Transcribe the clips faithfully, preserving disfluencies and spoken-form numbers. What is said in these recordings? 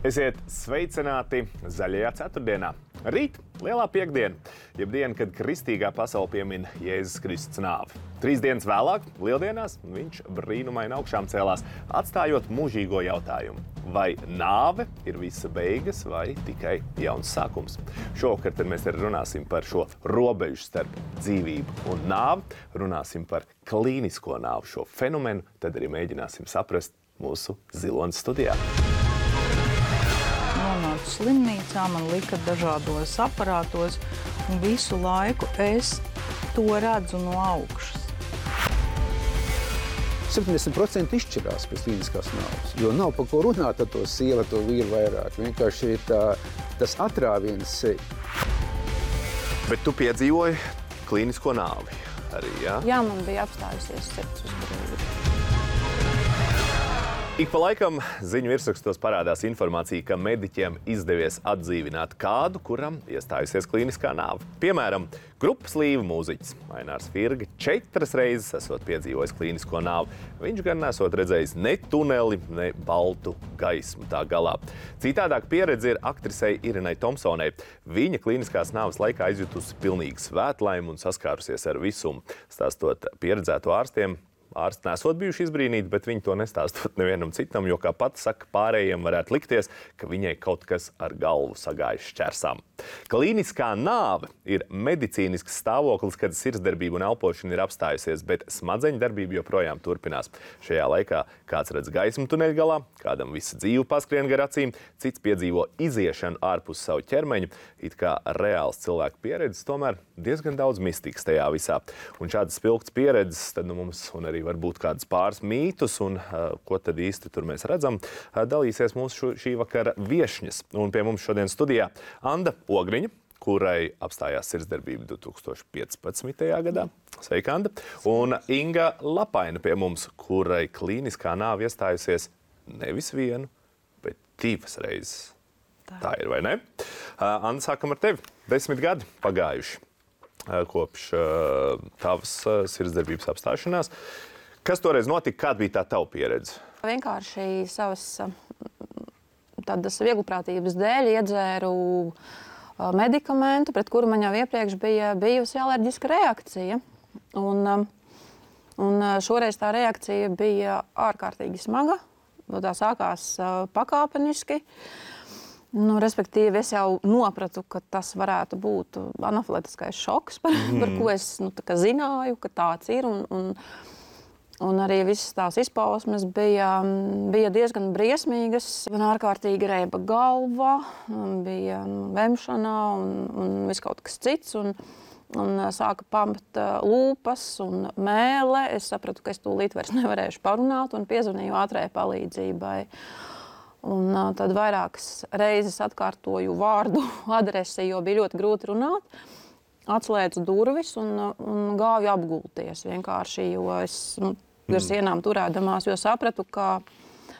Esiet sveicināti zaļajā ceturtdienā. Rīt lielā piekdiena, jeb diena, kad kristīgā pasaule piemin Jēzus Kristus nāvi. Trīs dienas vēlāk, lieldienās, viņš brīnumaini augšām cēlās, atstājot mūžīgo jautājumu. Vai nāve ir visa beigas vai tikai jauns sākums? Šovakar tad mēs arī runāsim par šo robežu starp dzīvību un nāvi, runāsim par klīnisko nāvi, šo fenomenu, tad arī mēģināsim saprast mūsu Zilonas studijā. Nonācu slimnīcā, man lika dažādos aparātos, un visu laiku es to redzu no augšas. septiņdesmit procenti izšķirās pēc klīniskās nāves, jo nav par ko runāt ar to sievu, to vīru vairāk. Vienkārši ir tā, tas atrāviens. Bet tu piedzīvoji klīnisko nāvi arī, jā? Jā, man bija apstājusies sirds uz brīdi. Ik pa laikam ziņu virsrakstos parādās informācija, ka mediķiem izdevies atdzīvināt kādu, kuram iestājusies klīniskā nāve. Piemēram, grupas līva mūziķis Ainārs Virga četras reizes esot piedzīvojis klīnisko nāvi. Viņš gan nesot redzējis ne tuneli, ne baltu gaismu tā galā. Citādāk pieredze ir aktrisei Irenai Tomsonai. Viņa klīniskās nāves laikā izjutusi pilnīgu svētlaimi un saskārusies ar visumu. Stāstot pieredzēto ārstiem, ārsti nesot bijuši izbrīnīti, bet viņi to nestāstot nevienam citam, jo, kā pati saka, pārējiem varētu likties, ka viņai kaut kas ar galvu sagājis šķersām. Klīniskā nāve ir medicīnisks stāvoklis, kad sirdsdarbība un elpošana ir apstājusies, bet smadzeņu darbība joprojām turpinās. Šajā laikā kāds redz gaismu tuneļa galā, kādam visa dzīve paskrien gar acīm, cits piedzīvo iziešanu ārpus savu ķermeņu, it kā reāls cilvēku pieredzes, tomēr diezgan daudz mistikas tajā visā. Un šādas spilgtas pieredzes tad nu mums un arī varbūt kādas pāris mītus, un uh, ko tad īsti tur mēs redzam, uh, dalīsies mūsu šī vakara viešņas. Un pie mums šodien studijā Anda Ogriņa, kurai apstājās sirdsdarbība divi tūkstoši piecpadsmitajā gadā. Sveika, Anda. Un Inga Lapaina pie mums, kurai klīniskā nāve iestājusies nevis vienu, bet divas reizes. Tā, Tā ir, vai ne? Uh, Anda, sākam ar tevi. Desmit gadi pagājuši kopš uh, tavas uh, sirdsdarbības apstāšanās. Kas toreiz notika? Kāda bija tā tava pieredze? Vienkārši savas tādas vieglprātības dēļ iedzēru uh, medikamentu, pret kuru man jau iepriekš bija bijusi alerģiska reakcija. Un, un šoreiz tā reakcija bija ārkārtīgi smaga. Tā sākās uh, pakāpeniski. Nu, respektīvi, es jau nopratu, ka tas varētu būt anafilaktiskais šoks, par, mm. par ko es nu, tā kā zināju, ka tāds ir. Un, un, un arī visas tās izpausmes bija, bija diezgan briesmīgas. Man ārkārtīgi reiba galva, bija nu, vemšanā un, un viss kaut kas cits. Un, un sāka pamt lūpas un mēle. Es sapratu, ka es tūlīt vairs nevarēšu parunāt un piezvanīju ātrajai palīdzībai. Un uh, tad vairākas reizes atkārtoju vārdu adresi, jo bija ļoti grūti runāt. Atslēdzu durvis un, un gāju apgulties vienkārši, jo es nu, ar sienām turēdamās, jo sapratu, ka,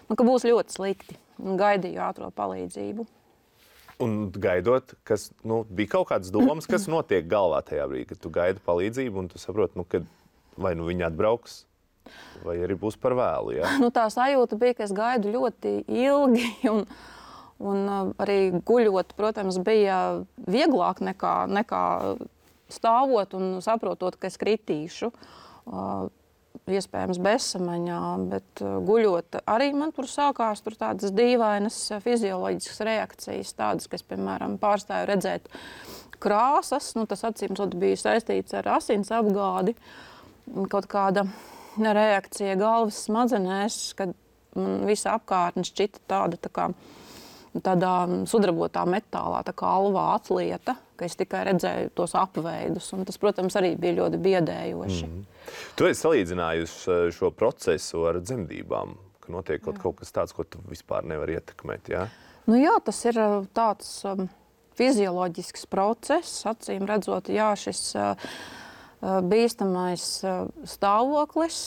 nu, ka būs ļoti slikti. Un gaidīju ātro palīdzību. Un gaidot, kas, nu, bija kaut kādas domas, kas notiek galvā tajā brīdī, kad tu gaidi palīdzību un tu saproti, nu, kad vai nu viņi atbrauks, vai arī būs par vēlu, jā? Nu, tā sajūta bija, ka es gaidu ļoti ilgi, un, un arī guļot, protams, bija vieglāk nekā, nekā stāvot un saprotot, ka es kritīšu, uh, iespējams bezsamaņā, bet uh, guļot arī man tur sākās tur tādas dīvainas fizioloģiskas reakcijas, tādas, kas, piemēram, pārstāju redzēt krāsas, nu, tas acīmredzot bija saistīts ar asins apgādi, kaut kāda reakcija galvas smadzenēs, kad man visa apkārtne šķita tāda tā kā tādā sudrabotā metālā, tā kā alvā atlieta, ka es tikai redzēju tos apveidus, un tas, protams, arī bija ļoti biedējoši. Mm. Tu esi salīdzinājusi šo procesu ar dzemdībām, ka notiek kaut, kaut kas tāds, ko tu vispār nevari ietekmēt, jā? Nu jā, tas ir tāds um, fizioloģisks process, acīm redzot, jā, šis uh, bīstamais stāvoklis,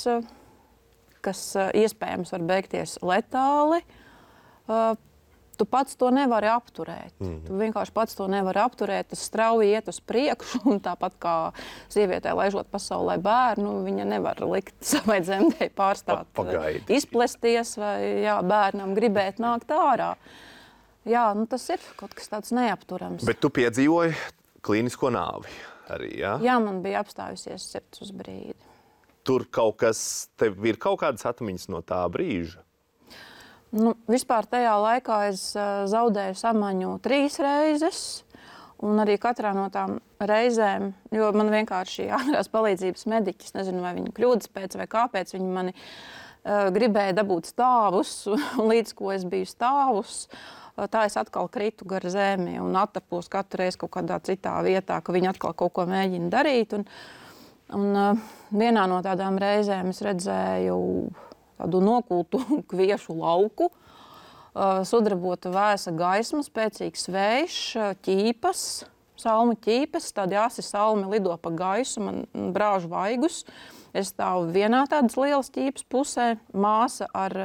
kas iespējams var beigties letāli. Tu pats to nevari apturēt. Mm-hmm. Tu vienkārši pats to nevari apturēt. Tas strauji iet uz priekšu, un tāpat kā sievietē laižot pasaulē bērnu, viņa nevar likt savai dzemdei pārstāt Pagaidi. izplesties vai jā, bērnam gribēt nākt ārā. Jā, nu tas ir kaut kas tāds neapturams. Bet tu piedzīvoji klīnisko nāvi arī, jā? Jā, man bija apstājusies sirds uz brīdi. Tur kaut kas, tev ir kaut kādas atmiņas no tā brīža? Nu, vispār tajā laikā es uh, zaudēju samaņu trīs reizes, un arī katrā no tām reizēm, jo man vienkārši ātrās palīdzības mediķis, nezinu, vai viņi kļūdas pēc vai kāpēc, viņi mani uh, gribēja dabūt stāvus, un līdz ko es biju stāvus, uh, tā es atkal kritu gar zemi un attapos katru reizi kaut kādā citā vietā, ka viņi atkal kaut ko mēģina darīt. Un, un uh, vienā no tādām reizēm es redzēju tādu nokultu kviešu lauku, sudrabota vēsa gaisma, spēcīgs vējš, ķīpas, salmu ķīpes, tādi asi salmi lido pa gaisu, man brāž vaigus. Es stāvu vienā tādas lielas ķīpas pusē, māsa ar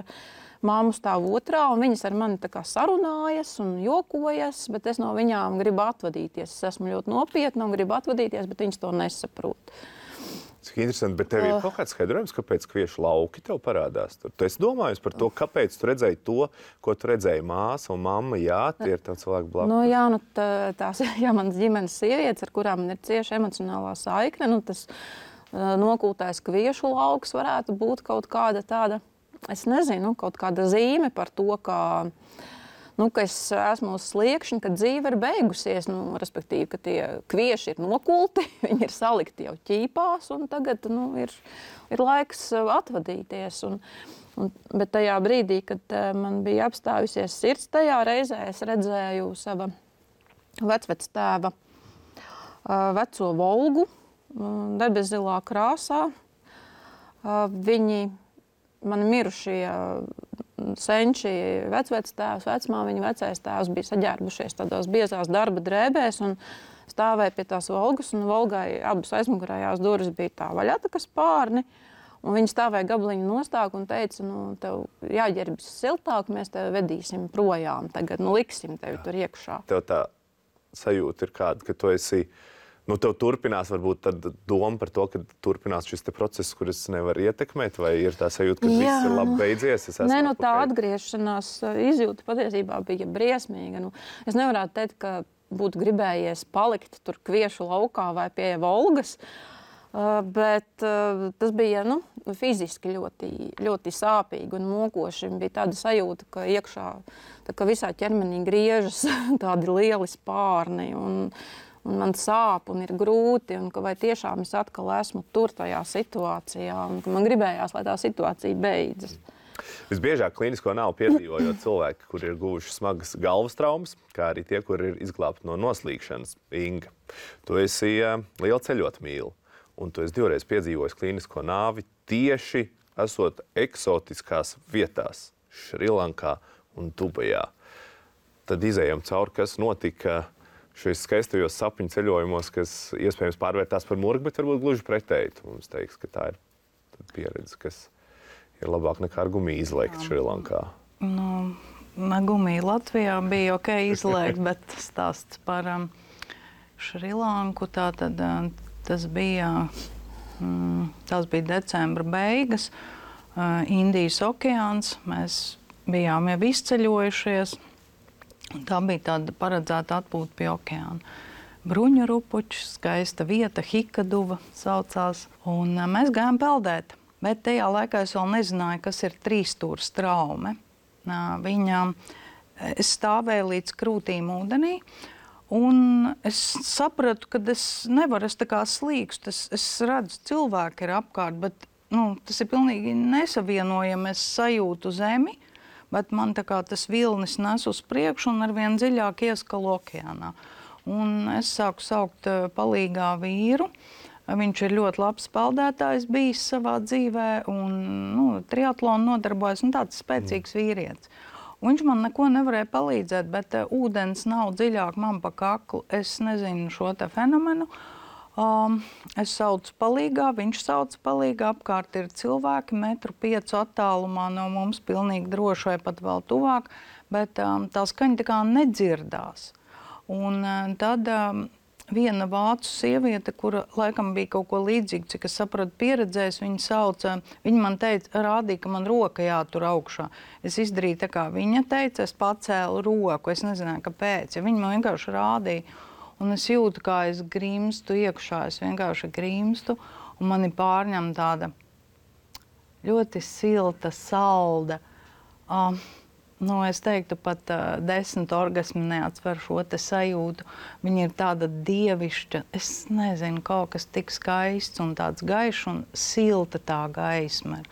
māmu stāv otrā, un viņas ar mani tā kā sarunājas un jokojas, bet es no viņām gribu atvadīties. Es esmu ļoti nopietna un gribu atvadīties, bet viņas to nesaprot. Cik interesanti, bet tev ir kaut kāds skaidrojums, kāpēc kviešu lauki tev parādās tur? Tu esi domājis par to, kāpēc tu redzēji to, ko tu redzēji māsa un mamma, jā, tie ir tev cilvēki blakus. Nu, jā, nu, tā, tās ir jā, manas ģimenes sievietes, ar kurām man ir cieša emocionālā saikne. Nu, tas uh, nokultais kviešu lauks varētu būt kaut kāda tāda, es nezinu, kaut kāda zīme par to, ka... Nu, ka es esmu uz sliekšņa, ka dzīve ir beigusies, nu, respektīvi, ka tie kvieši ir nokulti, viņi ir salikti jau ķīpās, un tagad nu, ir, ir laiks atvadīties. Un, un, bet tajā brīdī, kad uh, man bija apstājusies sirds, tajā reizē es redzēju sava vecvectēva uh, veco Volgu, uh, debeszilā krāsā. Uh, viņi, mani mirušie uh, senči, vecvectēvs, vecmāmiņa, vecais tēvs bija saģērbušies tādās biezās darba drēbēs un stāvēja pie tās Volgas, un Volgai abas aizmugurējās durvis bija tā vaļā, tā kā spārni, un viņi stāvēja gabaliņu nostāk un teica, nu, tev jāģērbjas siltāk, mēs tevi vedīsim projām tagad, nu, liksim tevi tur iekšā. Tev tā sajūta ir kāda, ka tu esi, nu, tev turpinās varbūt tad doma par to, ka turpinās šis te process, kuras nevar ietekmēt, vai ir tā sajūta, ka Jā. viss ir labi beidzies? Es Nē, nu, tā atpakaļ. atgriešanās izjūta patiesībā bija briesmīga. Nu, es nevarētu teikt, ka būtu gribējies palikt tur kviešu laukā vai pie Volgas, uh, bet uh, tas bija, nu, fiziski ļoti, ļoti sāpīgi un mokoši. Bija tāda sajūta, ka iekšā, tā kā visā ķermenī griežas tādi lieli spārni un un man sāp un ir grūti, un ka vai tiešām es atkal esmu tur tajā situācijā, un ka man gribējās, lai tā situācija beidzas. Visbiežāk klīnisko nāvi piedzīvojot cilvēki, kuri ir guvuši smagas galvas traumas, kā arī tie, kuri ir izglābti no noslīkšanas. Inga, tu esi uh, liela ceļotmīla, un tu esi divreiz piedzīvojis klīnisko nāvi tieši esot eksotiskās vietās, Šrilankā un Dubajā. Tad izējām cauri, kas notika šīs skaistajos sapņu ceļojumos, kas iespējams pārvērtās par murgu, bet varbūt gluži pretēji. Tu mums teiks, ka tā ir pieredze, kas ir labāk nekā ar gumiju izlēkt Šrilankā. Nu, na gumiju Latvijā bija ok izlēkt, bet stāsts par um, Šrilanku, tātad uh, tas bija, um, tas bija decembra beigas, uh, Indijas okeāns, mēs bijām jau izceļojušies. Tā bija tāda paredzēta atpūta pie okeāna. Bruņu rupučs, skaista vieta, Hikaduva saucās, un mēs gājām peldēt. Bet tajā laikā es vēl nezināju, kas ir trīsstūras traume. Viņa, es stāvēju līdz krūtīm ūdenī, un es sapratu, ka es nevaru, es tā kā slīkstu, es, es redzu, cilvēki ir apkārt, bet nu, tas ir pilnīgi nesavienojami, es sajūtu zemi, bet man tā kā tas vilnis nes uz priekšu un arvien dziļāk ieskalu okeānā. Un es sāku saukt palīgā vīru. Viņš ir ļoti labs peldētājs bijis savā dzīvē un nu, triatlonu nodarbojas un tāds spēcīgs vīrietis. Un viņš man neko nevarēja palīdzēt, bet uh, ūdens nav dziļāk man pa kaklu. Es nezinu šo te fenomenu. Um, es saucu palīgā, viņš sauca palīgā, apkārt ir cilvēki metru piecu attālumā no mums, pilnīgi droši vai pat vēl tuvāk, bet um, tā skaņa tā kā nedzirdās. Un uh, tad um, viena vācu sieviete, kura laikam bija kaut ko līdzīgu, cik es sapratu, pieredzējis, viņa sauca, viņa man teica, rādīja, ka man roka jātur augšā. Es izdarīju tā, kā viņa teica, es pacēlu roku, es nezināju, kāpēc, ja viņa man vienkārši rādīja, un es jūtu, kā es grimstu iekšā, es vienkārši grimstu, un mani pārņem tāda ļoti silta, salda, uh, nu, es teiktu, pat uh, desmit orgasmi neatsver šo te sajūtu. Viņa ir tāda dievišķa, es nezinu, kaut kas tik skaists un tāds gaišs un silta tā gaisma.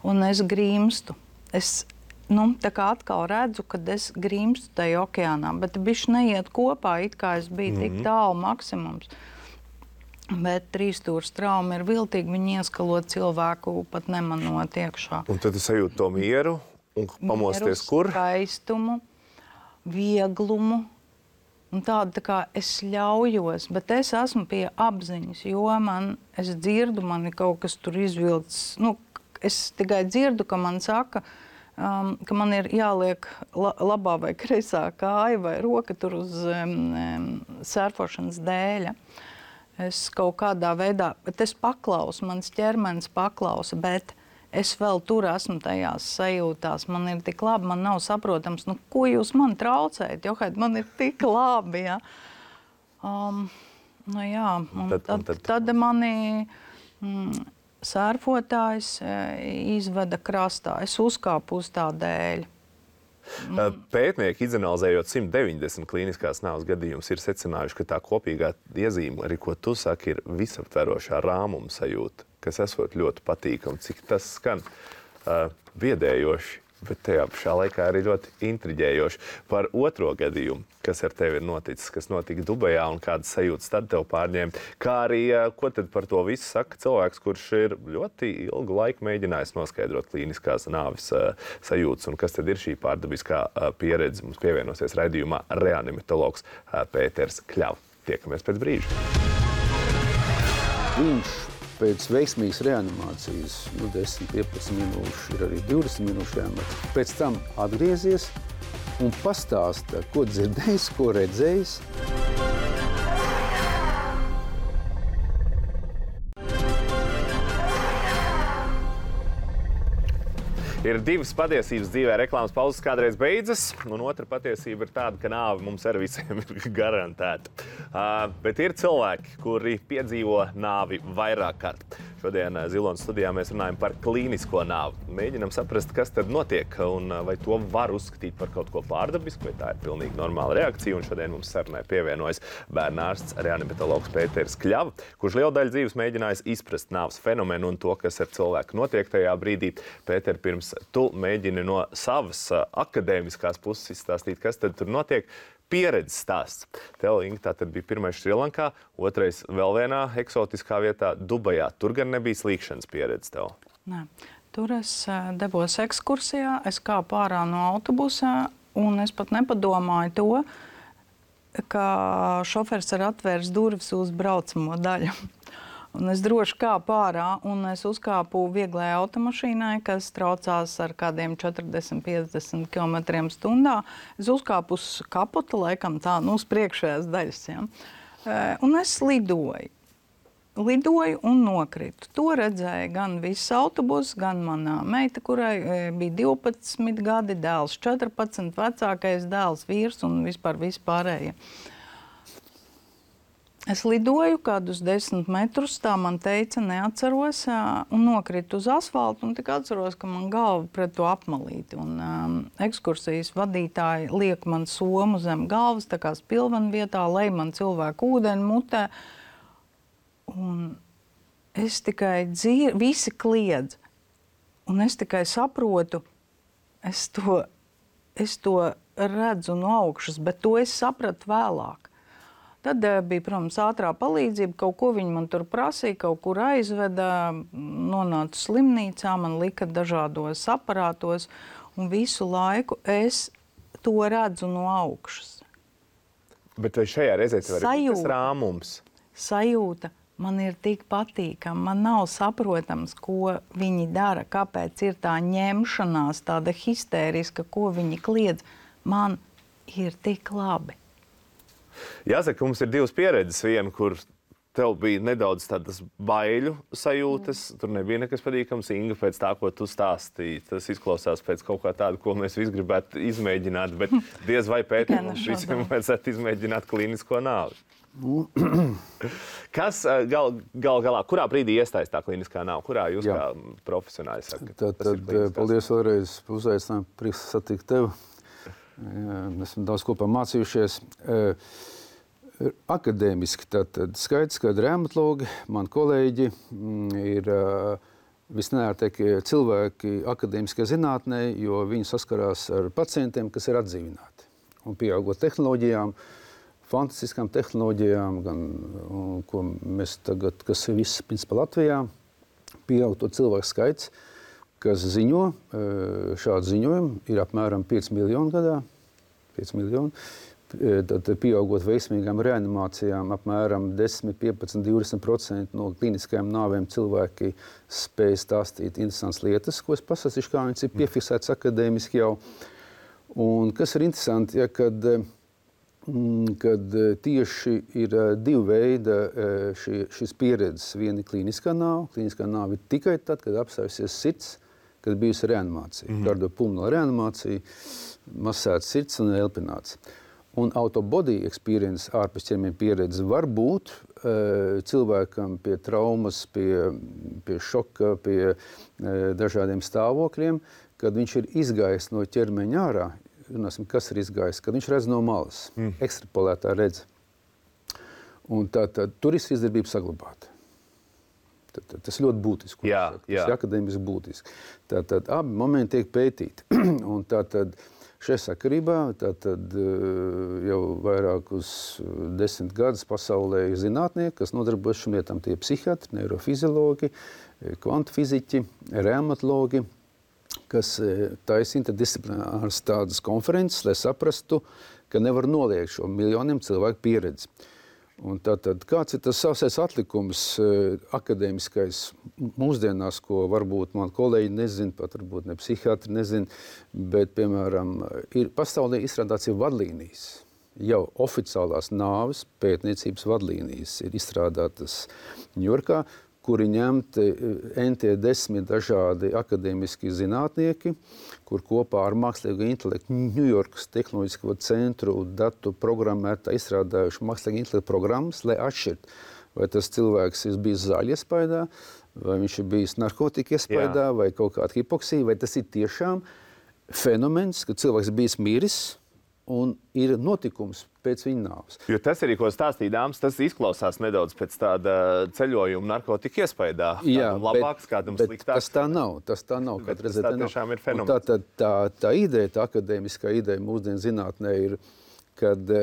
Un es grimstu. Es, nu, tā kā atkal redzu, kad es grimstu tajā okeānā, bet bišķi neiet kopā, it kā es biju mm-hmm. tik tālu maksimums. Bet trīsstūras trauma ir viltīgi, viņi ieskalo cilvēku pat nemanot iekšā. Un tad tu sajūti to mieru? Un pamosties Mieru, kur? Skaistumu, vieglumu. Un tāda tā kā es ļaujos, bet es esmu pie apziņas, jo man, es dzirdu, man ir kaut kas tur izvilcis. Nu, es tikai dzirdu, ka man saka, um, ka man ir jāliek la, labā vai kreisā kāja vai roka tur uz um, sērfošanas dēļa. Es kaut kādā veidā, bet es paklausu, mans ķermenis paklausa, bet es vēl tur esmu tajās sajūtās, man ir tik labi, man nav saprotams, nu, ko jūs man traucējat, jo, man ir tik labi, ja. Um, nu jā, un tad, tad, tad... tad mani mm, sērfotājs e, izveda krastā, es uzkāpu uz tā dēļ. Mm. Pētnieki, izanalizējot simt deviņdesmit klīniskās nāves gadījumus, ir secinājuši, ka tā kopīgā iezīme, arī ko tu saki, ir visaptverošā rāmuma sajūta, kas esot ļoti patīkami, cik tas skan uh, biedējoši, bet tajā pašā laikā arī ļoti intriģējoši. Par otro gadījumu, kas ar tevi ir noticis, kas notika Dubajā un kādas sajūtas tad tev pārņēma, kā arī, uh, ko tad par to visu saka cilvēks, kurš ir ļoti ilgu laiku mēģinājis noskaidrot klīniskās nāves uh, sajūtas, un kas tad ir šī pārdabiskā uh, pieredze. Mums pievienosies raidījumā reanimatologs uh, Pēters Kļava. Tiekamies pēc brīža. Viņš pēc veiksmīgas reanimācijas, nu, desmit, piecpadsmit minūšu, ir arī divdesmit minūšu reanimācija. Pēc tam atgriezies un pastāsta, ko dzirdējis, ko redzējis. Ir divas patiesības dzīvē, reklāmas pauzes kādreiz beidzas, un otra patiesība ir tāda, ka nāve mums ar visiem ir garantēta. Uh, bet ir cilvēki, kuri piedzīvo nāvi vairāk kārt. Šodien Zilonas studijā mēs runājam par klīnisko nāvi. Mēģinam saprast, kas tad notiek, un vai to var uzskatīt par kaut ko pārdabisku, vai tā ir pilnīgi normāla reakcija. Un šodien mums sarunai pievienojas bērnārsts, reanimatologs Pēters Kļava, kurš lielu daļu dzīves mēģinājis izprast nāves fenomenu un to, kas ar cilvēku notiek tajā brīdī. Pēter, pirms tu mēģini no savas akadēmiskās puses izstāstīt, kas tad tur notiek. Pieredzes stāsts. Tev, Inga, tā tad bija pirmais Šrilankā, otrais vēl vienā eksotiskā vietā Dubajā. Tur gan nebija slīkšanas pieredze tev. Nē. Tur es devos ekskursijā, es kāpu ārā no autobusā, un es pat nepadomāju to, ka šofers ir atvērs durvis uz braucamo daļu. Un es droši kāpu ārā, un es uzkāpu vieglai automašīnai, kas traucās ar kādiem četrdesmit piecdesmit kilometriem stundā. Es uzkāpu uz kaputa, laikam tā, nu, uz priekšējās daļas. Ja? Un es lidoju. Lidoju un nokritu. To redzēja gan viss autobus, gan manā meita, kurai bija divpadsmit gadi, dēls četrpadsmit, vecākais dēls, vīrs un vispār vispārējie. Es lidoju kādus desmit metrus, tā man teica, neatceros, un nokritu uz asfaltu, un tik atceros, ka man galva pret to apmalīti. Un um, ekskursijas vadītāji liek man somu zem galvas, tā kā spilvena vietā, lej man cilvēku ūdeni mutē. Un es tikai dzirdu, visi kliedz, un es tikai saprotu, es to, es to redzu no augšas, bet to es sapratu vēlāk. Tad bija, protams, ātrā palīdzība, kaut ko viņi man tur prasīja, kaut kur aizveda, nonācu slimnīcā, man lika dažādos aparātos, un visu laiku es to redzu no augšas. Bet vai šajā reizē tev ir tas rāmums? Sajūta man ir tik patīkama, man nav saprotams, ko viņi dara, kāpēc ir tā ņemšanās, tāda histēriska, ko viņi kliedz. Man ir tik labi. Jāsaka, mums ir divas pieredzes. Viena, kur tev bija nedaudz tādas baiļu sajūtas, tur nebija nekas patīkams. Inga, pēc tā, ko tu stāstīji, tas izklausās pēc kaut kā tāda, ko mēs visi gribētu izmēģināt, bet diez vai Pēter mums visiem vajadzētu izmēģināt klīnisko nāvi. Kas gal, gal galā, kurā brīdī iestājas tā klīniskā nāve? Kurā jūs Jā. kā profesionāļi sakat? Tad, tad paldies vēlreiz par uzaicinājumu, prieks satikt tevi. Esam daudz kopā mācījušies. Akadēmiski tātad skaidrs, ka reumatologi, mani kolēģi, ir visneērtākie cilvēki akadēmiskajā zinātnē, jo viņi saskarās ar pacientiem, kas ir atdzīvināti. Un pieaugot tehnoloģijām, fantastiskām tehnoloģijām, gan, un, ko mēs tagad, kas ir viss principā Latvijā, pieaug to cilvēku skaits, kas ziņo, šādu ziņojumu ir apmēram pieci miljoni gadā, pieci miljoni. Tad pieaugot veiksmīgām reanimācijām, apmēram desmit, piecpadsmit, divdesmit procenti no klīniskajām nāvēm cilvēki spēj stāstīt interesantas lietas, ko es pastāstīšu, kā viņas ir piefiksētas akadēmiski jau. Un kas ir interesanti, ja, kad, kad tieši ir divi veidi šī, šīs pieredzes. Viena ir klīniskā nāve. Klīniskā nāve ir tikai tad, kad apstājusies sirds, kad bijusi reanimācija. Mm-hmm. Kardiopulmonāla reanimācija, masēts sirds un elpināts. Un out-of-body experience, ārpus ķermeņa pieredze, var būt uh, cilvēkam pie traumas, pie, pie šoka, pie uh, dažādiem stāvokļiem, kad viņš ir izgājis no ķermeņa ārā, runāsim, kas ir izgājis, kad viņš redz no malas, mm. ekstrapolētā redz. Un tā, tā turisma izdarbība saglabāta. Tad, tad, tas ļoti būtiski. Jā, jā. Tas ir akadēmiski būtiski. Tātad abi momenti tiek pētīti. Un tātad šajā sakarībā tātad, jau vairākus desmit gadus pasaulē ir zinātnieki, kas nodarbojas šīm lietām. Tie psihiatri, neirofiziologi, kvantu-fiziķi, reumatologi, kas taisa interdisciplināras tādas konferences, lai saprastu, ka nevar noliegt šo miljoniem cilvēku pieredzi. Un tātad, kāds ir tas savsais atlikums akadēmiskais mūsdienās, ko varbūt man kolēģi nezin, pat varbūt ne psihiatri nezin, bet, piemēram, ir pasaulē izstrādāts jau vadlīnijas. Jau oficiālās nāves pētniecības vadlīnijas ir izstrādātas Ņujorkā, kuri ņemti N T desmit dažādi akadēmiski zinātnieki, kur kopā ar mākslīgo intelektu Ņujorkas tehnoloģisko centru datu programmētā izstrādājuši mākslīgo intelektu programmas, lai atšķirt, vai tas cilvēks ir bijis zāļu iespaidā, vai viņš ir bijis narkotika iespaidā, Jā. vai kaut kāda hipoksija, vai tas ir tiešām fenomens, ka cilvēks ir bijis miris un ir notikums pēc viņa nāves. Jo tas arī, ko stāstīja dāmas, tas izklausās nedaudz pēc tāda ceļojuma narkotika iespaidā. Jā, labāks, kādam bet, sliktāks. bet tas tā nav. Tas tā nav. Bet tas tā tiešām ir fenomens. Tā, tā, tā, tā ideja, tā akadēmiskā ideja mūsdienu zinātnē ir, kad,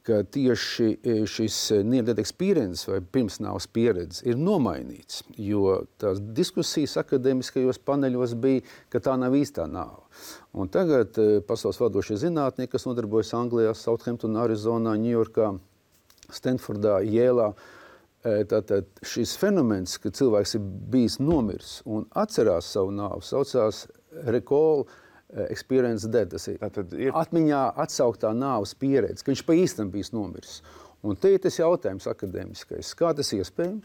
ka tieši šis near-death experience vai pirmsnāves pieredze ir nomainīts, jo tās diskusijas akadēmiskajos paneļos bija, ka tā nav īstā nāve. Un tagad pasaules vadošie zinātnieki, kas nodarbojas Anglijā, Southamptonā, Arizonā, Ņujorkā, Stanfordā, Jēlā, tātad šis fenomens, ka cilvēks ir bijis nomirs un atcerās savu nāvu, saucās recall experience death. Tas ir, ir atmiņā atsauktā nāves pieredze, ka viņš pa īstam bijis nomiris. Un te ir tas jautājums akadēmiskais. Kā tas iespējams,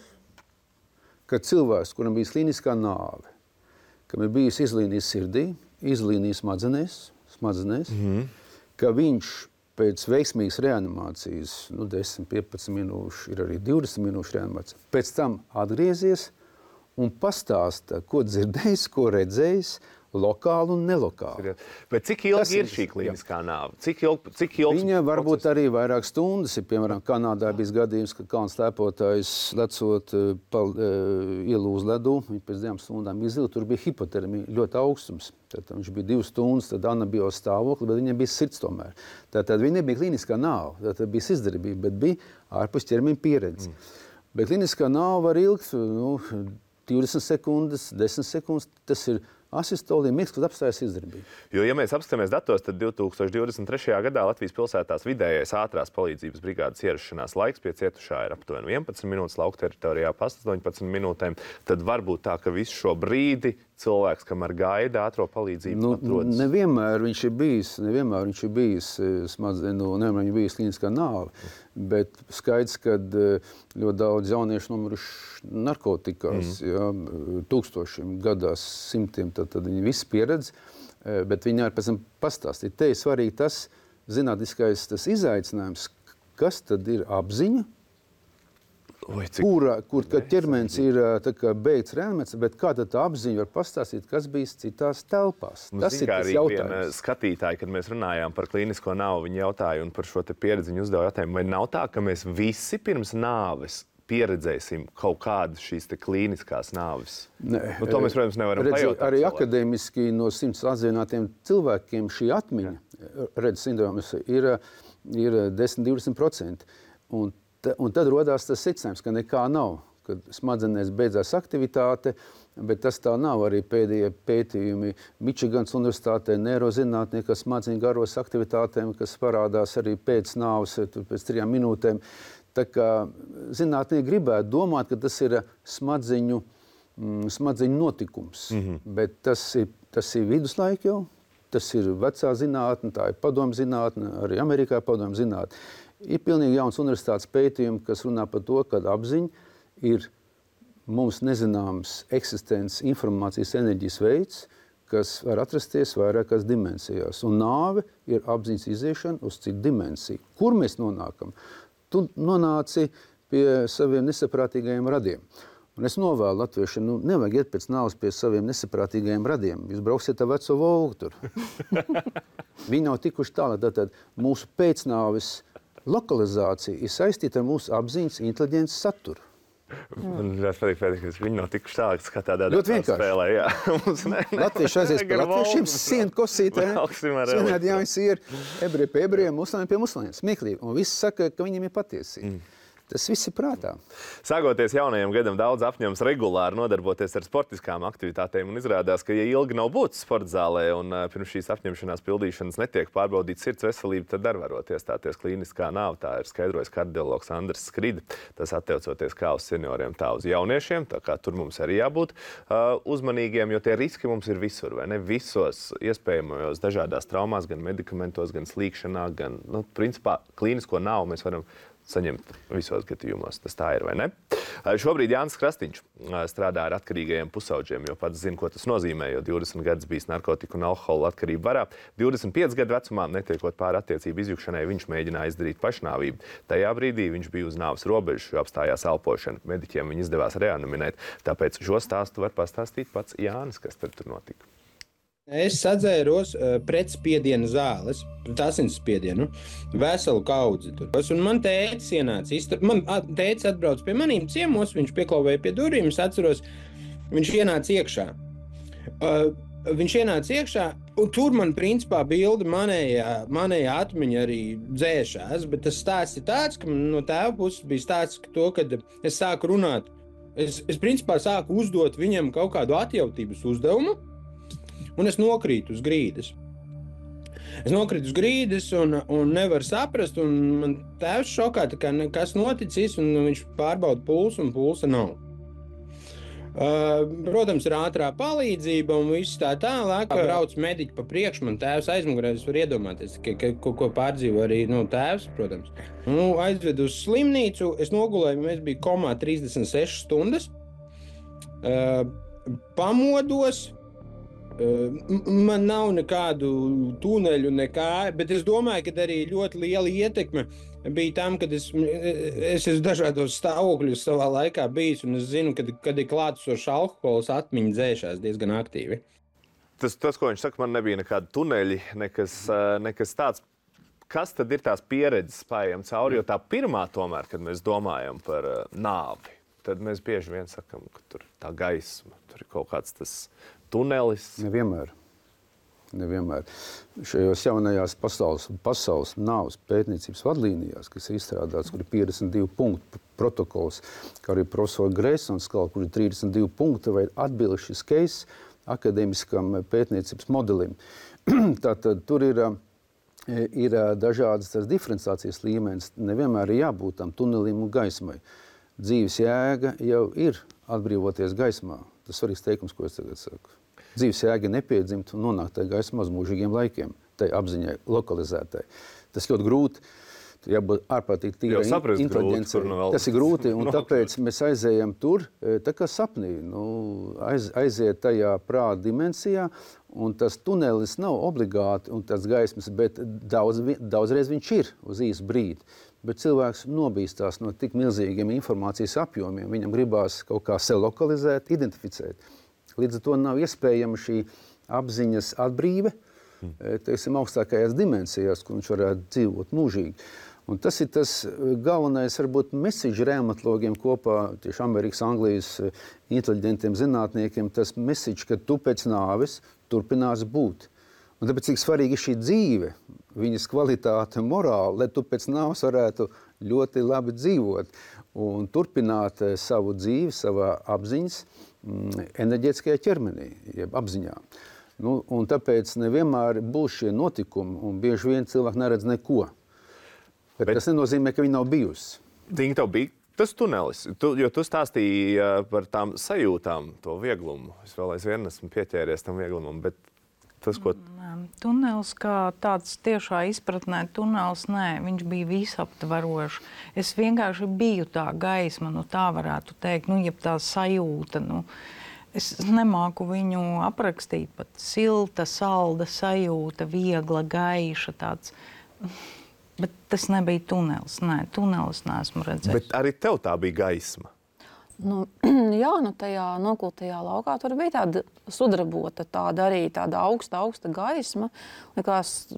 ka cilvēks, kuram bija klīniskā nāve, kam ir bijis izlīnijas sirdī, izlīnijas smadzenēs, smadzenēs mm-hmm. ka viņš pēc veiksmīgas reanimācijas, nu, desmit, piecpadsmit minūšu, ir arī divdesmit minūšu reanimācija, pēc tam atgriezies un pastāsta, ko dzirdējis, ko redzējis, lokāli un nelokāli. Bet cik ilgi tas ir šī klīniskā nāve? Cik ilgi, cik ilgi Viņa varbūt process? Arī vairāk stundas. Ir, piemēram, Kanādā bijis gadījums, ka kalns lēpotājs lecot pal, ielūz ledu, viņa pēc divām stundām izila, tur bija hipotermija, ļoti augstums. Tad viņš bija divas stundas, tad anabios stāvokli, bet viņam bija sirds tomēr. Tātad viņa nebija klīniskā nāve, tātad bija izdarbība, bet bija ārpus ķermeņa pieredze. Mm. Bet klīniskā nāve var ilgt, nu, divdesmit sekundes, desmit sekundes, tas ir asistolī mirklis, kad apstājas izdarbība. Jo, ja mēs apskatāmies datos, tad divtūkstoš divdesmit trešajā gadā Latvijas pilsētās vidējais ātrās palīdzības brigādes ierašanās laiks pie cietušā ir aptuveni vienpadsmit minūtes, lauka teritorijā pa astoņpadsmit minūtēm. Tad varbūt tā, ka visu šo brīdi cilvēks, kamēr gaida ātro palīdzību, nu, atrodas. Nevienmēr viņš ir bijis, nevienmēr viņš ir bijis, smadzen, nu, nevienmēr viņš ir bijis klīniskā nāve, bet skaidrs, ka ļoti daudz jauniešu nomiruši narkotikās, mm. ja, tūkstošiem gadās, simtiem, tad, tad viņi visi pieredz, bet viņi arī pēc tam pastāstīt. Te ir svarīgi tas zinātniskais tas izaicinājums, kas tad ir apziņa, Oi, cik... Kura, kur ķermenis ir tā kā beigts reanimācija, bet kā tad tā apziņa var pastāstīt, kas bijis citās telpās? Mums tas ir tas jautājums. Skatītāji, kad mēs runājām par klīnisko nāvu, viņi jautāja un par šo te pieredzi viņi uzdeva jautājumu, vai nav tā, ka mēs visi pirms nāves pieredzēsim kaut kādas šīs te klīniskās nāves? Nē, nu, to mēs, protams, nevaram redzi, pajautāt. Arī cilvēku. Akadēmiski no simts atzinātiem cilvēkiem šī atmiņa, redz, sindromas, ir, ir desmit līdz divdesmit procenti. Un Un tad rodās tas secinājums, ka nekā nav, kad smadzenēs beidzās aktivitāte, bet tas tā nav. Arī pēdējie pētījumi Mičigans universitātē neirozinātnieki, kas smadzeņu garos aktivitātēm, kas parādās arī pēc nāves, pēc trijām minūtēm. Tā kā zinātnieki gribētu domāt, ka tas ir smadzeņu, smadzeņu notikums, mm-hmm. bet tas ir, tas ir viduslaika jau, tas ir vecā zinātne, tā ir padomu zinātne, arī Amerikā padomu zinātne. Ir pilnīgi jauns universitātes pētījumi, kas runā par to, ka apziņa ir mums nezināms eksistences informācijas enerģijas veids, kas var atrasties vairākās dimensijās. Un nāve ir apziņas iziešana uz citu dimensiju. Kur mēs nonākam? Tu nonāci pie saviem nesaprātīgajiem radiem. Un es novēlu latviešiem, nu, nevajag iet pēc nāves pie saviem nesaprātīgajiem radiem. Jūs brauksiet ar veco Volgu tur. Viņi nav tikuši tālāk. Tātad mūsu pēcnāves lokalizācija ir saistīta ar mūsu apziņas inteliģences saturu. Man ļoti patīk, Pēters, ka viņi nav tikuši tālāk, kā tādā ļoti spēlē. Jā. Mums ne, ne, Latvieši aizies par latviešiem, sienu kosītē, svinēt jāvis ir ebreji pie ebrejiem, muslāņiem pie muslāņiem. Smieklīgi. Un visi saka, ka viņiem ir patiesība. Mm. Tas viss ir prātā. Sākoties jaunajam gadam, daudz apņems regulāri nodarboties ar sportiskām aktivitātēm un izrādās, ka, ja ilgi nav būtis sporta zālē un uh, pirms šīs apņemšanās pildīšanas netiek pārbaudīta sirds veselība, tad ar varot iestāties klīniskā nāve. Tā ir skaidrojis kardiologs Andris Skrida. Tas attiecoties kā uz senioriem, tā uz jauniešiem, tā kā tur mums arī jābūt uh, uzmanīgiem, jo tie riski mums ir visur, vai ne? Visos iespējamajos dažādās traumās, gan medikamentos, gan slīkšanā, gan, nu, principā, klīnisko nāvu mēs varam saņemt visos gadījumos. Tas tā ir, vai ne? Šobrīd Jānis Krastīņš strādā ar atkarīgajiem pusauģiem, jo pats zina, ko tas nozīmē, jo divdesmit gadus bijis narkotiku un alkohola atkarību varā. divdesmit pieci gadu vecumā, netiekot pāri attiecību izjukšanai, viņš mēģināja izdarīt pašnāvību. Tajā brīdī viņš bija uz nāves robežas, jo apstājās elpošana. Mediķiem viņu izdevās reaniminēt. Tāpēc šo stāstu var pastāstīt pats Jānis, kas tad tur notika. Es sadzēros uh, pretspiediena zāles, pret asinsspiedienu, veselu kaudzi tur. Un man tētis ienāca, istab... man tētis atbrauc pie manīm ciemos, viņš pieklauvēja pie durvīm, es atceros, viņš ienāca iekšā. Uh, viņš ienāca iekšā, un tur man principā bilde manējā, manējā atmiņa arī dzēšās, bet tas stāsts ir tāds, ka no tēva puses bija stāsts to, kad es sāku runāt. Es, es principā sāku uzdot viņam kaut kādu atjautības uzdevumu, un es nokrītu uz grīdas. Es nokrītu uz grīdas un, un nevaru saprast, un man tēvs šokā, tā kā kas noticis, un viņš pārbauda pulsu, un pulsa nav. Uh, protams, ir ātrā palīdzība un viss tā tālāk. Brauc mediķi pa priekšu, man tēvs aizmugurē, es varu iedomāties, ka, ka, ko, ko pārdzīvo arī nu, tēvs, protams. Nu, aizvedu uz slimnīcu, es nogulēju, mēs bija komā trīsdesmit sešas stundas. Uh, pamodos. Man nav nekādu tuneļu, nekā, bet es domāju, ka arī ļoti liela ietekme bija tam, kad es, es esmu dažādos stāvokļos savā laikā bijis, un es zinu, kad, kad ir klātesošs alkohols, atmiņa dzēšās diezgan aktīvi. Tas, tas, ko viņš saka, man nebija nekādi tuneļi, nekas, nekas tāds. Kas tad ir tās pieredzes spējam cauri? Jo tā pirmā tomēr, kad mēs domājam par nāvi, tad mēs bieži vien sakam, ka tur tā gaisma, tur ir kaut kāds tas tunelis. Nevienmēr. Nevienmēr. Šajos jaunajās pasaules, pasaules nāves pētniecības vadlīnijās, kas ir izstrādāts, kur ir piecdesmit divi punktu protokols, kā arī profesora Greisons skala, kur ir trīsdesmit divi punkti vai atbildes šis case, akadēmiskam pētniecības modelim. Tātad tur ir, ir dažādas tās diferenciācijas līmenis. Nevienmēr ir jābūt tam tunelim un gaismai. Dzīves jēga jau ir atbrīvoties gaismā. Tas svarīgs teikums, ko es tagad saku. Dzīves jēga ir nepiedzimt un nonākt tajā gaismā uz mūžīgiem laikiem, tai apziņai, lokalizētai. Tas ļoti grūti, jābūt ārprātīgi tīrai inteliģencei. Tas ir grūti, un tāpēc mēs aizējam tur, tā kā sapnī, nu, aiz, aiziet tajā prāta dimensijā, un tas tunelis nav obligāti un tas gaismas, bet daudz, daudzreiz viņš ir uz īsu brīdi. Bet cilvēks nobīstās no tik milzīgiem informācijas apjomiem. Viņam gribās kaut kā sev lokalizēt, identificēt. Līdz ar to nav iespējama šī apziņas atbrīve, teiksim, augstākajās dimensijās, kur viņš varētu dzīvot mūžīgi. Un tas ir tas galvenais, varbūt, message reumatologiem kopā, tieši Amerikas, Anglijas inteliģentiem zinātniekiem, tas message, ka tu pēc nāves turpinās būt. Un tāpēc, cik svarīgi ir šī dzīve, viņas kvalitāte un morāla, lai tu pēc nāves varētu ļoti labi dzīvot un turpināt savu dzīvi, savā apziņas mm, enerģētiskajā ķermenī, jeb apziņā. Nu, un tāpēc nevienmēr būs šie notikumi, un bieži vien cilvēki neredz neko. Bet, Bet tas nenozīmē, ka viņi nav bijusi. Ding, tev bija tas tunelis, tu, jo tu stāstīji par tām sajūtām, to vieglumu. Es vēl aizvien esmu pieķēries tam vieglumam, bet tas, ko... Tunelis kā tāds tiešā izpratnē, tunelis, nē, viņš bija visaptvarošs. Es vienkārši biju tā gaisma, nu tā varētu teikt, nu, jeb tā sajūta, nu, es nemāku viņu aprakstīt, pat silta, salda sajūta, viegla, gaiša tāds. Bet tas nebija tunelis, nē, tunelis neesmu redzējis. Bet arī tev tā bija gaisma. Nu, jā, nu tajā nokultajā laukā tur bija tāda sudrabota, tāda arī tāda augsta, augsta gaisma. Likās,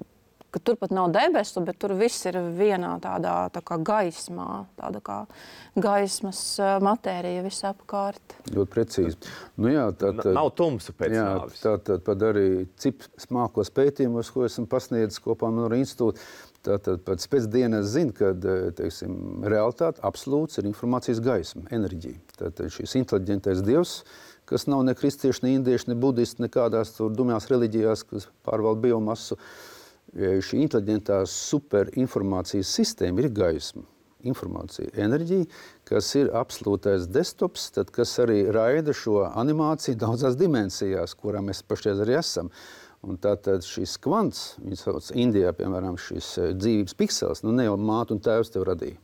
ka tur pat nav debesu, bet tur viss ir vienā tādā tā kā gaismā, tāda kā gaismas matērija visapkārt. Ļoti precīzi. Nu jā, tā, tā, nav tumsa pēc jā, nāvis. Tā tad pat arī cip smākos pētījumos, ko esam pasniedzis kopā ar institūtu. Tātad pēc pēcdienas zina, ka, teiksim, realitāte absolūts ir informācijas gaisma, enerģija. Tātad šis inteliģentais dievs, kas nav ne kristieši, ne indieši, ne budisti, nekādās tur dumjās reliģijās, kas pārvalda biomasu, šī inteliģentā superinformācijas sistēma ir gaisma, informācija, enerģija, kas ir absolūtais desktops, tad, kas arī raida šo animāciju daudzās dimensijās, kurā mēs pašreiz arī esam. Un tātad šis kvants, viņu sauc Indijā, piemēram, šis dzīvības piksels, nu ne jau māte un tēvs tev radīja.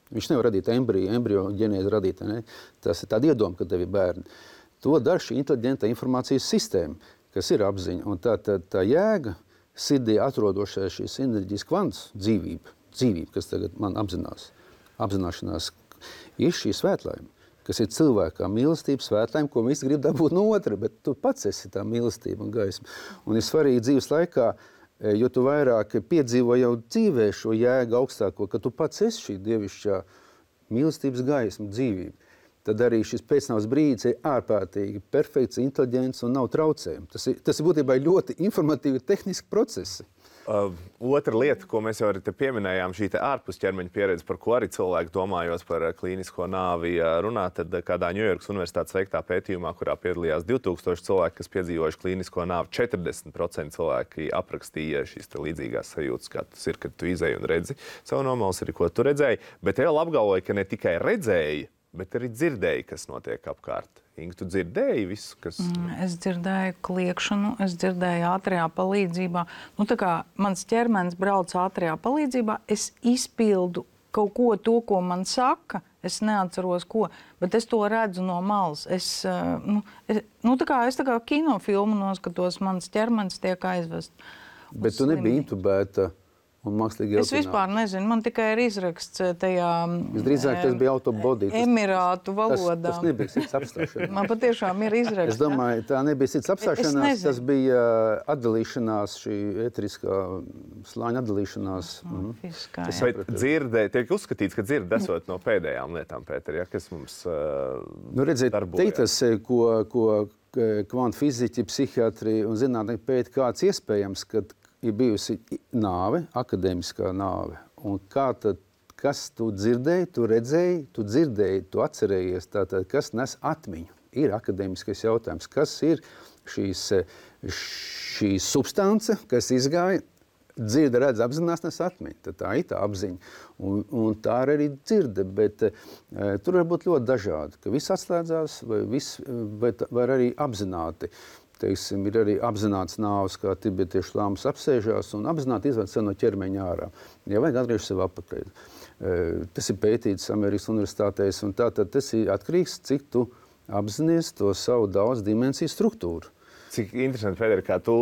Viņš nevar radīt embriju, embriju ģenēzi radīt, ne? Tas ir tāda iedoma, ka tev ir bērni. To dara šī inteliģenta informācijas sistēma, kas ir apziņa. Un tātad tā jēga, sirdī atrodošais šīs enerģijas kvants, dzīvība, dzīvība, kas tagad man apzinās, apzināšanās, ir šī svētlaime, kas ir cilvēkā mīlestība, svētlaime, ko visi grib dabūt no otra, bet tu pats esi tā mīlestība un gaisma. Un ir svarīgi dzīves laikā, jo tu vairāk piedzīvo jau dzīvē šo jēgu augstāko, ka tu pats esi šī dievišķā mīlestības gaisma, dzīvība. Tad arī šis pēcnāvs brīdis ir ārprātīgi perfekts, inteliģents un nav traucējumi. Tas ir, tas ir būtībā ļoti informatīvi tehniski procesi. Uh, otra lieta, ko mēs jau arī te pieminējām, šī te ārpus ķermeņa pieredze, par ko arī cilvēki domājot par klīnisko nāvi runā, tad kādā Ņujorkas universitātes veiktā pētījumā, kurā piedalījās divi tūkstoši cilvēki, kas piedzīvojuši klīnisko nāvi, četrdesmit procenti cilvēki aprakstīja šīs te līdzīgās sajūtas, kā tas ir, kad tu izēji un redzi savu nomalas, arī ko tu redzēji, bet vēl apgalvoja, ka ne tikai redzēji, bet arī dzirdēji, kas notiek apkārt. Inga, tu dzirdēji visu, kas... Es dzirdēju kliekšanu, es dzirdēju ātrajā palīdzībā. Nu, tā kā mans ķermenis brauc ātrajā palīdzībā, es izpildu kaut ko to, ko man saka, es neatceros ko, bet es to redzu no malas. Es, nu, es, nu, tā kā, es tā kā kinofilmu noskatos, mans ķermenis tiek aizvest. Bet tu nebija intubēta un mākslīgi Es vispār nezinu, man tikai ir izraksts tajā Visdrīzāk tas bija autobody. Emirātu valodā. Tas, tas nebija sirds apstāšanās. Man patiešām ir izraksts. Es domāju, tā nebija sirds apstāšanās, tas bija atdalīšanās, šī eteriskā slāņa atdalīšanās. Mm. Fiskā, Bet dzirdē, tiek uzskatīts, ka dzird esot no pēdējām lietām, Pēter, ja, kas mums uh, nu, redziet, darbojas. Te tas, ko, ko kvantu fiziķi, psihiatri un zinātnieki pēta, kāds iespējams, kad ir bijusi nāve, akadēmiskā nāve. Un kā tad, kas tu dzirdēji, tu redzēji, tu dzirdēji, tu atcerējies, tātad, kas nes atmiņu. ir akadēmiskais jautājums, kas ir šīs, šī substance, kas izgāja, dzirde, redz, apzinās, nes atmiņ. Tā ir tā apziņa. Un, un tā ir arī dzirde, bet uh, tur var būt ļoti dažādi, ka viss atslēdzās vai, viss, vai, vai arī apzināti. Teiksim, ir arī apzināts nāves, kā tibetiešu lāmas apsēžās un apzināti izved sev no ķermeņa ārā. Ja vajag atgriež sev apakaļ. Uh, tas ir pētīts Amerikas universitātēs, un tātad tas ir atkarīgs, cik tu apzinies to savu daudz dimensiju struktūru. Cik interesanti, Federi, kā tu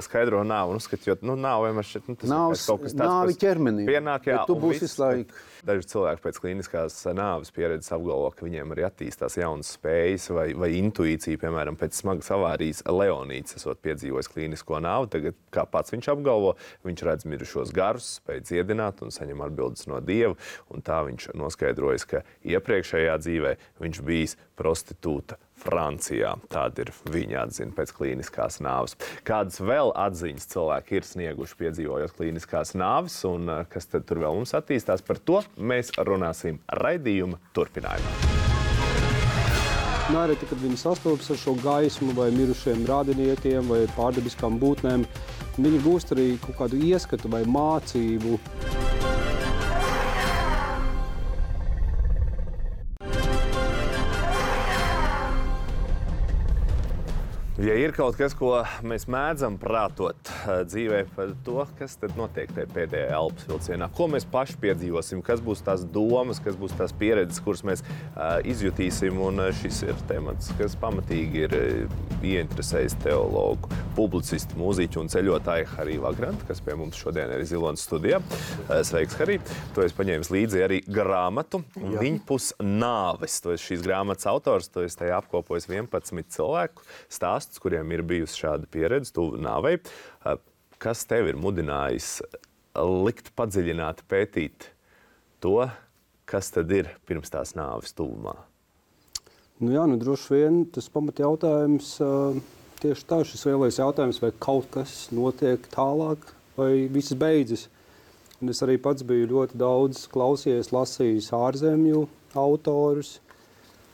skaidro nāvu un uzskati, jo nu, nāve vienmēr šķiet, nu, tas Nāvs, ir kaut kas tāds, nāvi ķermenī, pienāk, jā, bet tu būsi visu laiku. Daži cilvēki pēc klīniskās nāves pieredzes apgalvo, ka viņiem arī attīstās jaunas spējas vai, vai intuīcija, piemēram, pēc smagas avārijas Leonīds, esot piedzīvojis klīnisko nāvi. Tagad, kā pats viņš apgalvo, viņš redz mirušos garus, spēj dziedināt un saņem atbildes no Dieva, un tā viņš noskaidrojas, ka iepriekšējā dzīvē viņš bijis prostitūta Francijā. Tāda ir viņa atzina pēc klīniskās nāves. Kādas vēl atziņas cilvēki ir snieguši piedzīvojot klīniskās nāves, un kas tad tur vēl mums attīstās, par to mēs runāsim raidījuma turpinājumā. Nereti, kad viņi sastopas ar šo gaismu vai mirušiem radiniekiem vai pārdabiskām būtnēm, viņi gūst arī kaut kādu ieskatu vai mācību. Ja ir kaut kas, ko mēs mēdzam prātot dzīvē par to, kas tad notiek tajā pēdējā elpas vilcienā, ko mēs paši piedzīvosim, kas būs tās domas, kas būs tās pieredzes, kuras mēs uh, izjutīsim, un šis ir temats, kas pamatīgi ir ieinteresējis teologu, publicistu, mūziķu un ceļotāju Hariju Vagrantu, kas pie mums šodien ir Zilonas studijā. Sveiks, Harij! Tu esi paņēmis līdzi arī grāmatu Viņpus nāves. Tu esi šīs grāmatas autors, tu esi tajā apkopojis vienpadsmit cilvēku stāstu, kuriem ir bijusi šāda pieredze tuvu nāvei. Kas tev ir mudinājis likt padziļināt, pētīt to, kas tad ir pirms tās nāves tuvumā? Nu jā, nu droši vien tas pamat jautājums, tieši tā, šis lielais jautājums, vai kaut kas notiek tālāk, vai viss beidzas. Un es arī pats biju ļoti daudz klausījies, lasījis ārzemju autorus,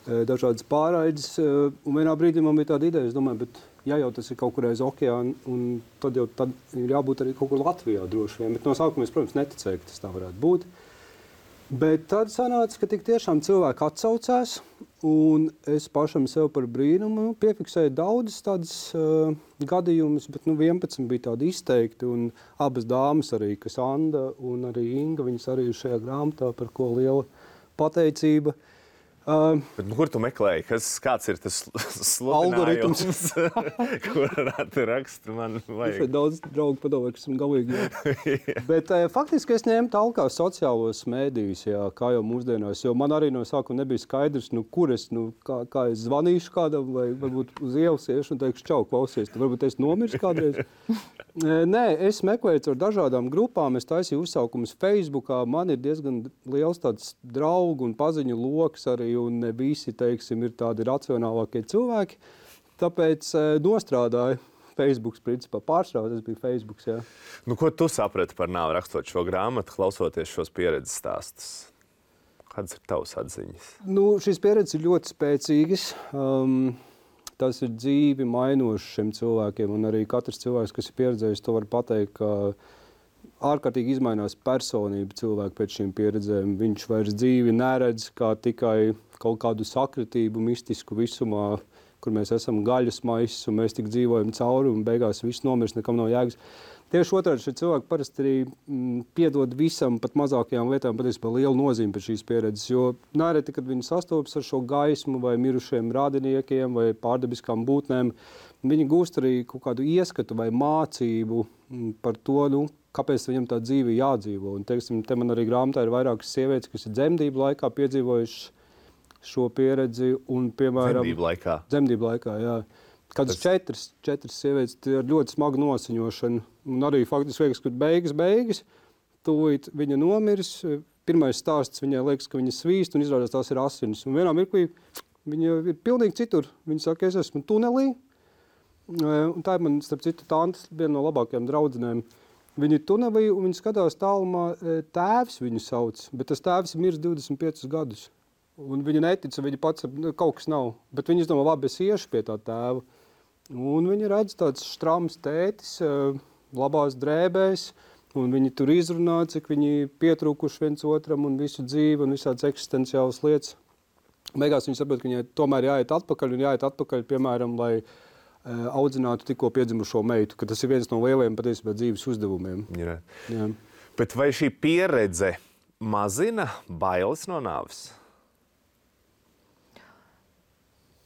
dažādas pārraides, un vienā brīdī man bija tāda ideja, es domāju, bet ja jau tas ir kaut kur aiz okeāna, un tad jau tad ir jābūt arī kaut kur Latvijā droši vien, bet no sākuma es, protams, neticēju, ka tas tā varētu būt. Bet tad sanāca, ka tik tiešām cilvēki atsaucās, un es pašam sev par brīnumu piefiksēju daudzas tādas uh, gadījumus, bet nu vienpadsmit bija tādi izteikti, un abas dāmas arī, kas Anda un arī Inga, viņas arī ir šajā grāmatā, par ko liela pateicība. Uh, Bet, nu, kur tu meklēji? Kas, kāds ir tas sludinājums, kur rakstu man vajag? Šeit daudz draugu padomāju, ka esam galīgi. Bet uh, faktiski es ņēmu talkā sociālos mēdījus, jā, kā jau mūsdienās, jo man arī no sākuma nebija skaidrs, nu, kur es, nu, kā, kā es zvanīšu kādam, vai varbūt uz ielas iešu un teikšu, čau, klausies, tu varbūt es nomiršu kādreiz. Nē, es meklēju ar dažādām grupām, es taisīju uzsaukumus Facebookā, man ir diezgan liels tāds draugu un paziņu loks arī, un ne visi, teiksim, ir tādi racionālākie cilvēki, tāpēc nostrādāju Facebooks, principā pārstāvā, tas bija Facebooks, jā. Nu, ko tu saprati par nāvi rakstot šo grāmatu, klausoties šos pieredzes stāstus? Kādas ir tavas atziņas? Nu, šīs pieredzes ir ļoti spēcīgas. Um, Tas ir dzīvi mainoši šiem cilvēkiem, un arī katrs cilvēks, kas ir pieredzējis, to var pateikt, ka ārkārtīgi izmainās personība cilvēku pēc šīm pieredzēm. Viņš vairs dzīvi neredz kā tikai kaut kādu sakritību, mistisku visumā, kur mēs esam gaļas maisis, un mēs tik dzīvojam cauri, un beigās viss nomirst, nekam nav jēgas. Tieši otrādi šie cilvēki parasti arī mm, piedod visam, pat mazākajām lietām, patiesībā lielu nozīmi pēc šīs pieredzes, jo nereti, kad viņi sastopas ar šo gaismu vai mirušiem radiniekiem vai pārdabiskām būtnēm, viņi gūst arī kaut kādu ieskatu vai mācību mm, par to, nu, kāpēc viņam tā dzīve jādzīvo. Un, teiksim, te man arī grāmatā ir vairākas sievietes, kas ir dzemdību laikā piedzīvojuši šo pieredzi un, piemēram... Dzemdību laikā? Dzemdību laikā, jā. Kādas četras, četras sievietes ar ļoti smagu nosiņošanu. Un arī faktiski liekas, ka beigas, beigas, tūlīt viņa nomirs. Pirmais stāsts viņai liekas, ka viņa svīst un izrādās tās ir asinis. Un vienā mirklī viņa ir pilnīgi citur. Viņa saka, es esmu tunelī. Un tā ir man, starp citu, tantes, viena no labākajām draudzenēm. Viņa ir tunelī un viņa skatās tālumā, tēvs viņu sauc, bet tas tēvs ir miris divdesmit piecus gadus. Un viņa netica, viņa pats nu, kaut kas nav. Bet viņa domā, labi, es iešu pie tā tēva. Un viņa redz tāds štrams tētis, labās drēbēs, un viņi tur izrunā, cik viņi pietrūkuši viens otram un visu dzīvi un visādas eksistenciālas lietas. Beigās viņi saprot, ka viņai tomēr jāiet atpakaļ un jāiet atpakaļ, piemēram, lai uh, audzinātu tikko piedzimušo meitu, ka tas ir viens no lielajiem patiesībā dzīves uzdevumiem. Jā. Jā. Bet vai šī pieredze mazina bailes no nāves?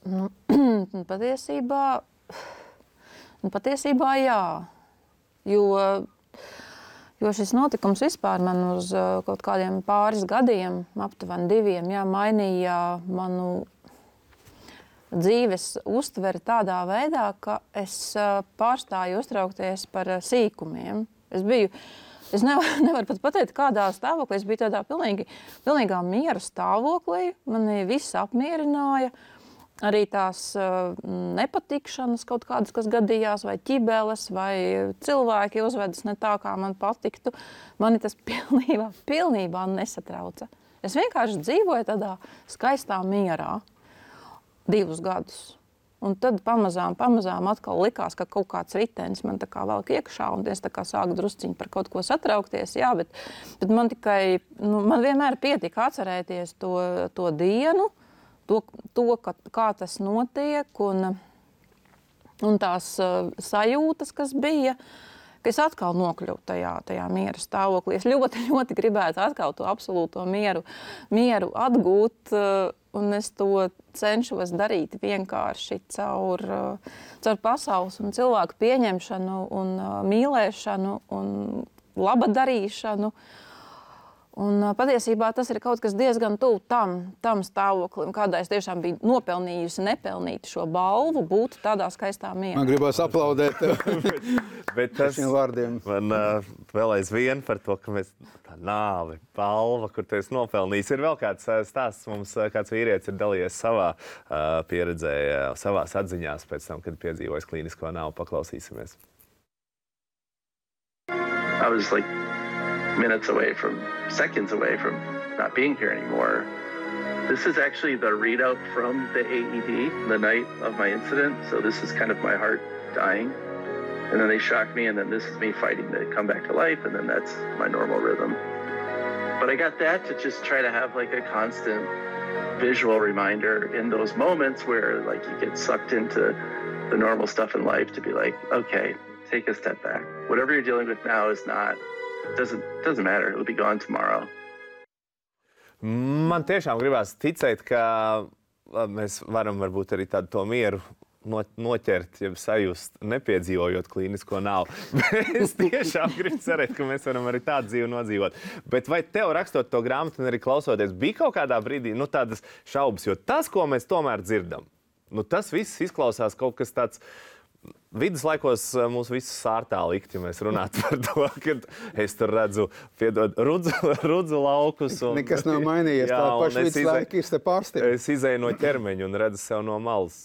Nu, patiesībā, nu, patiesībā jā, jo... Jo šis notikums vispār man uz uh, kaut kādiem pāris gadiem, aptuveni diviem, jā, mainīja manu dzīves uztveri tādā veidā, ka es uh, pārstāju uztraukties par uh, sīkumiem. Es biju, es nevaru, nevaru pat pateikt, kādā stāvoklī. Es biju tādā pilnīgi, pilnīgā miera stāvoklī. Mani viss apmierināja. Arī tās uh, nepatikšanas kaut kādas, kas gadījās, vai ķibeles, vai cilvēki uzvedas ne tā, kā man patiktu, mani tas pilnībā, pilnībā nesatrauca. Es vienkārši dzīvoju tādā skaistā mierā divus gadus. Un tad pamazām, pamazām atkal likās, ka kaut kāds ritenis man tā kā velk iekšā, un es tā kā sāku drusciņi par kaut ko satraukties. Jā, bet, bet man tikai, nu, man vienmēr pietika atcerēties to, to dienu, To, to ka, kā tas notiek un, un tās uh, sajūtas, kas bija, ka es atkal nokļuvu tajā, tajā miera stāvoklī. Es ļoti, ļoti gribētu atkal to absolūto mieru, mieru atgūt, uh, un es to cenšos darīt vienkārši caur, uh, caur pasaules un cilvēku pieņemšanu un uh, mīlēšanu un labadarīšanu. Un patiesībā tas ir kaut kas diezgan tuvu tam, tam stāvoklim, kādā es tiešām biju nopelnījusi, nepelnīti šo balvu, būt tādā skaistā mierā. Man gribas aplaudēt bet, bet tas šiem vārdiem. Man uh, vēl aizvien par to, ka mēs tā nāve, balva, kur tu esi nopelnījis. Ir vēl kāds uh, stāsts mums, uh, kāds vīrietis ir dalījies savā uh, pieredzē, uh, savās atziņās pēc tam, kad piedzīvojis klīnisko nāvu. Paklausīsimies. I was like minutes away from, seconds away from not being here anymore. This is actually the readout from the A E D the night of my incident. So this is kind of my heart dying. And then they shocked me, and then this is me fighting to come back to life, and then that's my normal rhythm. But I got that to just try to have like a constant visual reminder in those moments where like you get sucked into the normal stuff in life to be like, okay, take a step back. Whatever you're dealing with now is not Doesn't, doesn't matter. It'll be gone tomorrow. Man tiešām gribās ticēt, ka mēs varam varbūt arī tādu to mieru noķert, ja sajust, nepiedzīvojot klīnisko nāvu. Es tiešām gribu cerēt, ka mēs varam arī tādu dzīvi nodzīvot. Bet vai tev rakstot to grāmatu un arī klausoties, bija kaut kādā brīdī nu, tādas šaubas? Jo tas, ko mēs tomēr dzirdam, nu, tas viss izklausās kaut kas tāds. Viduslaikos mūs visus sārtā likt, ja mēs runātu par to, ka es tur redzu, piedod, rudzu, rudzu laukus. Un, nekas nav mainījies, jā, tā paša viduslaika ir te pārstāvja. Es izēju no ķermeņa un redzu sev no malas.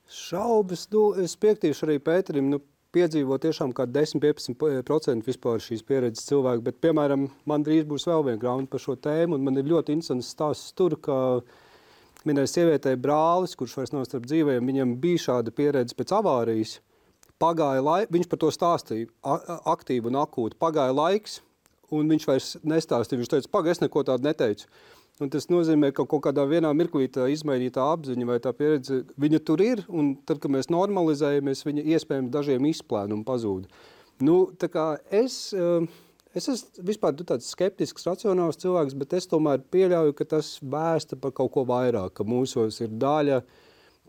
Šaubas, nu, es piektīšu arī Pēterim, nu, piedzīvo tiešām kā desmit līdz piecpadsmit procenti vispār šīs pieredzes cilvēku, bet, piemēram, man drīz būs vēl viena grāmata par šo tēmu, un man ir ļoti interesants stāsts tur, ka vienai sievietei brālis, kurš vairs nav starp dzīvējiem, viņam bija šāda pieredze pēc avārijas. Pagāja laik, viņš par to stāstīja aktīvi un akūti. Pagāja laiks, un viņš vairs nestāstīja. Viņš teica, paga, es neko tādu neteicu. Un tas nozīmē, ka kaut kādā vienā mirklī tā izmainītā apziņa vai tā pieredze, viņa tur ir, un tad, kad mēs normalizējamies, viņa iespējams dažiem izplēna un pazūda. Nu, tā kā es... Es esmu vispār tāds skeptisks, racionāls cilvēks, bet es tomēr pieļauju, ka tas vēsta par kaut ko vairāk, ka mūsos ir daļa,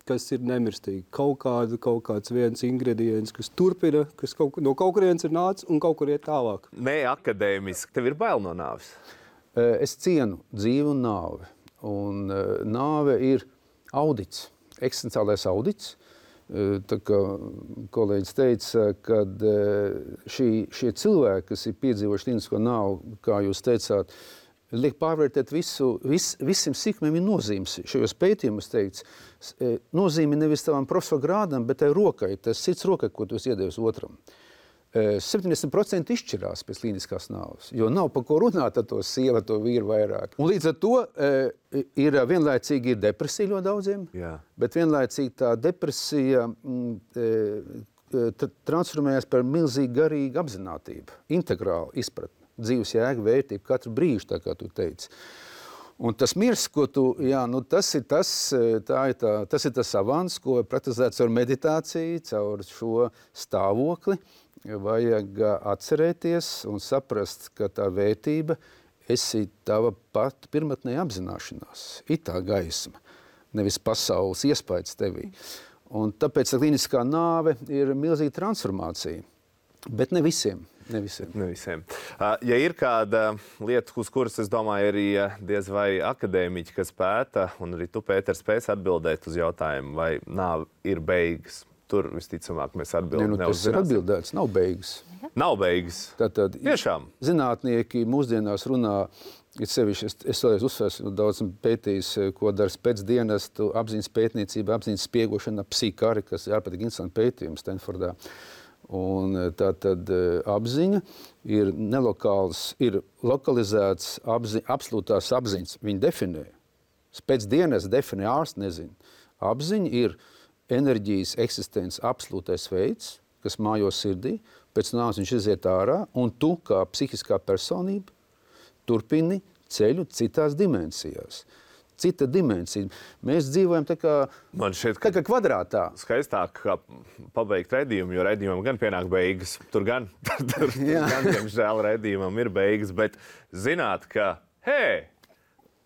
kas ir nemirstīga. Kaut, kāda, kaut kāds viens ingredients, kas turpina, kas kaut, no kaut kurienes ir nācis un kaut kur iet tālāk. Ne akadēmiski. Tev ir bail no nāves? Es cienu dzīvi un nāvi. Un nāve ir audits, eksistenciālais audits. Tā kā kolēģis teica, ka šī, šie cilvēki, kas ir piedzīvojuši klīnisko nāvu, kā jūs teicāt, liek pārvērtēt visu, vis, visiem sīkumiem ir nozīmes. Šajos pētījumus teikts, nozīme nevis tavam profesora grādam, bet tai rokai, tas cits rokai, ko tu esi iedevis otram. septiņdesmit procenti izšķirās pēc klīniskās nāves, jo nav par ko runāt ar to sievu, to vīru vairāk. Un līdz ar to ir vienlaicīgi ir depresija ļoti daudziem, Jā. bet vienlaicīgi tā depresija mm, transformējās par milzīgu garīgu apzinātību, integrālu izpratni, dzīves jēgu, vērtību, katru brīžu, tā kā tu teici. Un tas miers, ko tu, jā, nu tas ir tas, tā ir tā, tas ir tas avans, ko praktizēts ar meditāciju, caur šo stāvokli, vajag atcerēties un saprast, ka tā vērtība esi tava pat pirmatnē apzināšanās, ir tā gaisma, nevis pasaules iespējas tevī. Un tāpēc klīniskā nāve ir milzīga transformācija, bet ne visiem. Ne visiem. Ne visiem. Ja ir kāda lieta, uz kuras, es domāju, arī diez vai akadēmiķi, kas pēta, un arī tu, Pēter, spēs atbildēt uz jautājumu, vai nāve ir beigas. Tur visticamāk mēs atbildam. Ne, nu, tas ir atbildēts, nav beigas. Nav beigas. Tātad, Tiešām. Zinātnieki mūsdienās runā, ir sevišķi, es, es vēlreiz uzsvēru, daudz pētījis, ko dara spēcdienestu, apziņas pētniecība, apziņas spiegošana, psikari, kas ir ārpēc interesanti pētījumi Stanfordā. Un tātad apziņa ir nelokāls, ir lokalizēts apzi, absolūtās apziņas. Viņi definē. Spēcdienests definē, ārsts nezina. Apziņa ir enerģijas eksistences absolūtais veids, kas mājo sirdī, pēc nāves viņš iziet ārā, un tu, kā psihiskā personība, turpini ceļu citās dimensijās. Cita dimensija. Mēs dzīvojam tā kā, Man šeit, tā kā kvadrātā. Skaistāk kā pabeigt redzējumu, jo redzējumam gan pienāk beigas. Tur gan, tur, tur gan diemžēl redzējumam ir beigas, bet zināt, ka, hei,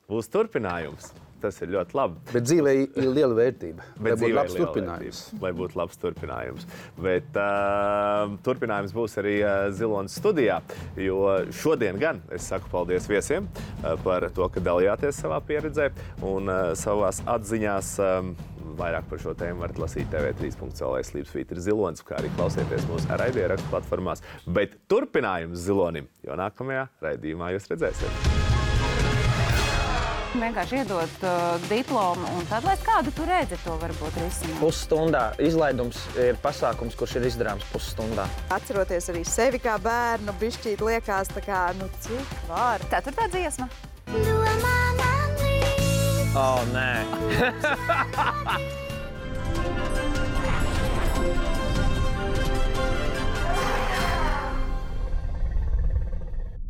būs turpinājums. Tas ir ļoti labi. Bet dzīvē ir liela vērtība. Bet lai būtu labs turpinājums. Vērtība, lai būtu labs turpinājums. Bet uh, turpinājums būs arī uh, Zilonas studijā, jo šodien gan es saku paldies viesiem uh, par to, ka dalījāties savā pieredzē un uh, savās atziņās. Um, vairāk par šo tēmu varat lasīt T V trīs punkts L V Sleepsvītra Zilonas, kā arī klausieties mūsu raidierakstu platformās. Bet turpinājums Zilonim, jo nākamajā raidījumā jūs redzēsiet. Vienkārši iedot uh, diplomu, un tad, lai kādu tu redzi, to varbūt risināt. Pusstundā izlaidums ir pasākums, kurš ir izdarāms pusstundā. Atceroties arī sevi kā bērnu, bišķīt liekas tā kā, nu, cik var. Ceturtā dziesma. O, nē.